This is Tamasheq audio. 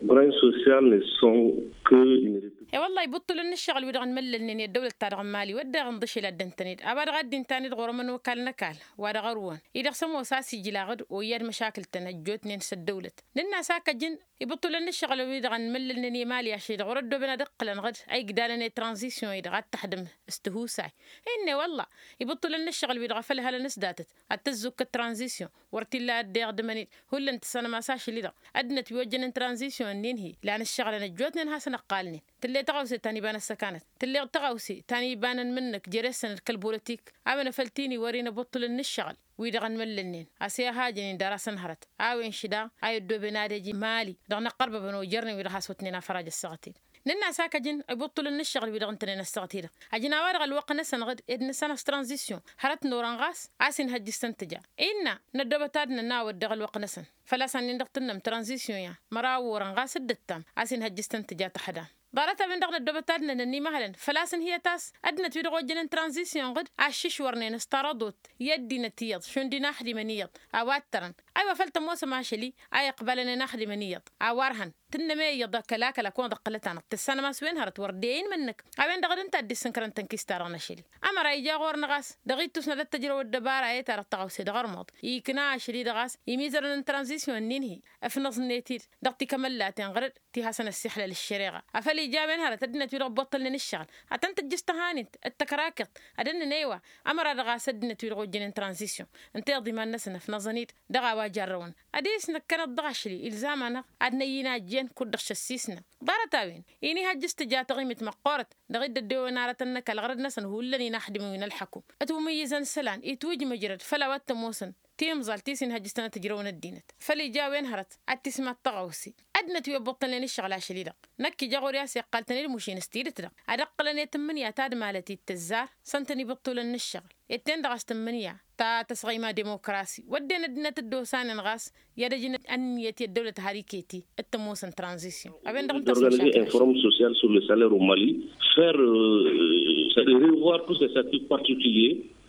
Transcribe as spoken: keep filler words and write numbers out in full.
Branche sociale ne sont que une. E-wălla-hi ibuṭṭulăn n-ǝššăɣǝl-wi-dăɣ ănmăllălnen i-ăddăwlăt-ta-dăɣ n-mali wădden ănḍǝšel ad-dd-ǝntăned a-wa dăɣ-a dd-inta-net ɣur-emăn okal n-ăkall wa dăɣ-ărwăn-i-dăɣ s-ămoos a-s ijlaɣ-dd oyyad măšakǝl-tăn ăjjootnen s-ăddăwlăt. Nǝnn'-as hak ăjǝn ibuṭṭulăn n-ǝššăɣǝl-wi-dăɣ ănmăllălnen i-mali ašăl-i-dăɣ wăr-ăddooben ad-ǝqqǝlăn ɣǝd a igdalăn i-tranzisyon-i-dăɣ ad-tăxdǝm s-tihusay. Innă i-wălla-hi ibuṭṭulăn n-ǝššăɣǝl-wi-dăɣ a făl hălăn s-datăt ad-tăzzuk d-tranzisyon wăr t-illa ad-dd-iɣdǝmăn-dd. Hullan tǝssanăm a-s ašăl-i-dăɣ ăddinăt wi ojjănen tranzisyon-nin-hi lan ǝššăɣǝlăn ăjjootnen hasăn-ăqqalnen. Tǝll'-e tăɣawse ta n-iba n-ăssăkanăt tǝll'-e tăɣawse ta n-iba n-ănmǝnnǝk jere-săn d-kăl-bolotik. A-wen a făl t-in-iwăr-in ibuṭṭulăn n-ǝššăɣǝl-wi-dăɣ ănmăllălnen a-s i-ad-hajăn-in dăr-asăn hărăt. A-wen šǝda a iddooben ad-ejǝn mali dăɣ-inăqqărbăbăn ojărnen wi-dăɣ has-otnen afăraja ăssaɣăt-i-dăɣ. Nǝnn'-as hak ăjǝn ibuṭṭulăn n-ǝššăɣǝl-wi-dăɣ ǝntănen ăssaɣăt-i-dăɣ ăjǝn a-wa dăɣ-ălwăqq-năsăn ɣǝd ed nǝssanăɣ s-tranzisyon hărăt n-orăn ɣas a-s inhăjj s-tăn-tǝja. Innă n-ăddoobăt ad-nănn a-wăt dăɣ-ălwăqq-năsăn făl-a-s ănnin-dăɣ tǝnnăm tranzisyon ya măraw orăn ɣas dd-ǝttam a-s inhăjj s-tăn-tǝja tăxdam. Ḍarăt-a-wen-dăɣ n-ăddoobăt ad-nănn ănnimăhălăn făl-a-s ǝnhǝyăt a-s ăddinăt-wi-dăɣ ojjănen tranzisyon ɣǝd a ǝššǝšwărnen s-taraḍot i-ăddinăt iyyăḍ šund inaxdimăn iyyăḍ a-wa ǝttărăn. Aywa făl tămoosăm ašăl-i a iqbalăn inaxdimăn iyyăḍ a-wa ărhăn tǝnnăm i-iyyăḍ akăl-akăl a kăwăḍ ǝqqǝlăt-anăɣ tǝssanăm a-s wen hărăt wăr dd-e-inmǝnnǝk. A-wen-dăɣ d-ǝnta a dd-issǝnkărăn tănkist-ta-dăɣ n-ašăl-i ămăra ija ɣur-năɣ a-s dăɣ-ittus n-ad-ăttăjrăw ăddăbara i-ta-dăɣ tăɣawse dăɣ-ărmuḍ ikna ašăl-i-dăɣ a-s imizărăn n-tranzisyon-nin-hi. Ǝfnăẓnet-dd dăɣ-tikămăllaten ɣǝr-dd ti hasăn-ăssixlăl ăššăreɣa. Afăl ija a-wen hărăt ăddinăt-wi-dăɣ ăbboṭṭălnen ǝššăɣǝl ad-tăn-tǝjjǝs tăhanint d-tăkrakǝḍt ad-ănnăn eywa. Ămăra dăɣ-a-s ăddinăt-wi-dăɣ ojjănen tranzisyon ǝnta iḍǝy iman-năsăn ăfnăẓăn-dd dăɣ-a-wa jarrăwăn. Ad-e-s năkkăneḍ dăɣ-ašli ilzam-anăɣ ad-năyy-in a ǝjjen kud-dăɣ šăssisnăn. Ḍarăt-a-wen-i n-ihăjj s-tǝja taɣimit măqqoorăt dăɣ-i dd-ăddewăn arătăn n-ăkall ɣărăd-năsăn hullan inaxdimăn wi n-ălḥăkum. Ătwǝmǝyyǝzăn isălan itwǝjmăjrăd făll-a-wa t-ămoosăn timẓalt ti s-inhăjj s-tăn-ătǝjrăwăn ăddinăt. Făl ija a-wen hărăt ad-tismad tăɣawse ăddinăt wi ăbbuṭṭălnen ǝššăɣǝl ašăl-i-dăɣ. Năkk ija ɣur-i a-s iqqal-tăn-dd mušin s-tidǝt-dăɣ ad-ǝqqǝlăn i-tǝmmǝnǝya ta d-malăt ittǝzzar s-ǝntăn ibǝṭṭulăn n-ǝššăɣǝl. Ed ten-dăɣ a-s tǝmmǝnǝya ta tăsɣăyma demokrasi wădden ăddinăt dd-osanen ɣas i-ad-ăjǝn ănniyăt i-ăddăwlăt har iket-i d-tămoosăn tranzisyon. A-wen-dăɣ n-tăsmăšat. Inform social sur le salaire au mali faire revoir tous ces statuts particuliers.